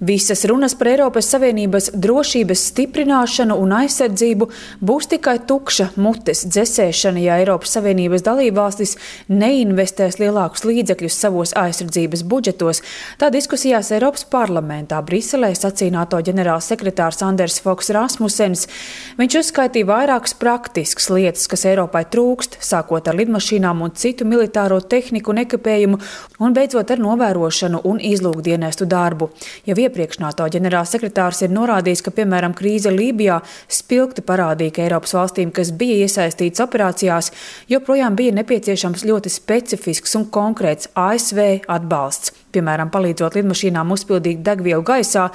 Visas runas par Eiropas Savienības drošības stiprināšanu un aizsardzību būs tikai tukša mutes dzesēšana, ja Eiropas Savienības dalībvalstis neinvestēs lielākus līdzekļus savos aizsardzības budžetos. Tā diskusijās Eiropas parlamentā Briselē sacīja NATO ģenerālsekretārs Anders Foks Rasmussens. Viņš uzskaitīja vairākas praktiskas lietas, kas Eiropai trūkst, sākot ar lidmašīnām un citu militāro tehniku un ekipējumu, un beidzot ar novērošanu un izlūkdienestu darbu. Jau iepriekš NATO ģenerālsekretārs ir norādījis, ka, piemēram, krīze Lībijā spilgti parādīja, ka Eiropas valstīm, kas bija iesaistītas operācijās, joprojām bija nepieciešams ļoti specifisks un konkrēts ASV atbalsts. Piemēram, palīdzot lidmašīnām uzpildīt degvielu gaisā.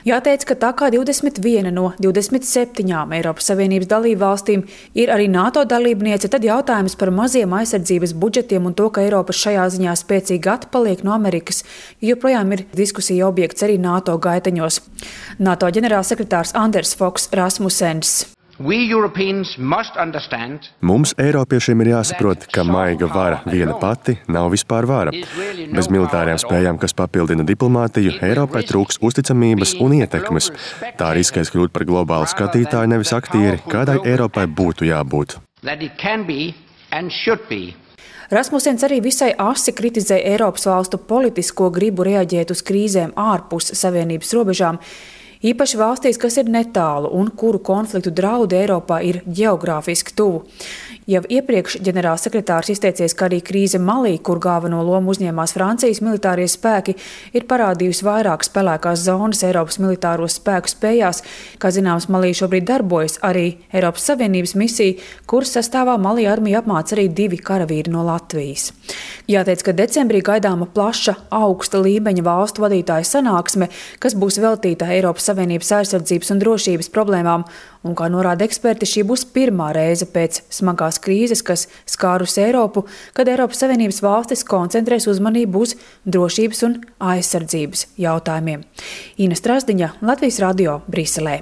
Jāteic, ka tā kā 21 no 27 Eiropas Savienības dalībvalstīm ir arī NATO dalībniece, tad jautājums par maziem aizsardzības budžetiem un to, ka Eiropa šajā ziņā spēcīgi atpaliek no Amerikas, joprojām ir diskusija objekts arī NATO gaiteņos. NATO ģenerālsekretārs Anders Foks Rasmussens. Mums, Eiropiešiem, ir jāsaprot, ka maiga vara viena pati nav vispār vara. Bez militārajām spējām, kas papildina diplomātiju, Eiropai trūks uzticamības un ietekmes. Tā riskēs kļūt par globālu skatītāju, nevis aktieri, kādai Eiropai būtu jābūt. Rasmussens arī visai asi kritizēja Eiropas valstu politisko gribu reaģēt uz krīzēm ārpus Savienības robežām. Īpaši valstīs, kas ir netālu un kuru konfliktu draudi Eiropā ir ģeogrāfiski tuvu. Jau iepriekš ģenerālsekretārs izteicies, ka arī krīze Malī, kur galveno lomu uzņēmās Francijas militārie spēki, ir parādījusi vairākas pelēkās zonas Eiropas militāro spēku spējās. Kā zināms, Malī šobrīd darbojas arī Eiropas Savienības misija, kuras sastāvā Malī armija apmāca arī 2 karavīri no Latvijas. Jāteic, ka decembrī gaidāma plaša, augsta līmeņa valstu vadītāju sanāksme, kas būs veltīta Eiropas Savienības aizsardzības un drošības problēmām, un, kā norāda eksperti, šī būs pirmā reize pēc smagās krīzes, kas skārus Eiropu, kad Eiropas Savienības valstis koncentrēs uzmanību uz drošības un aizsardzības jautājumiem. Ina Strasdiņa, Latvijas radio, Briselē.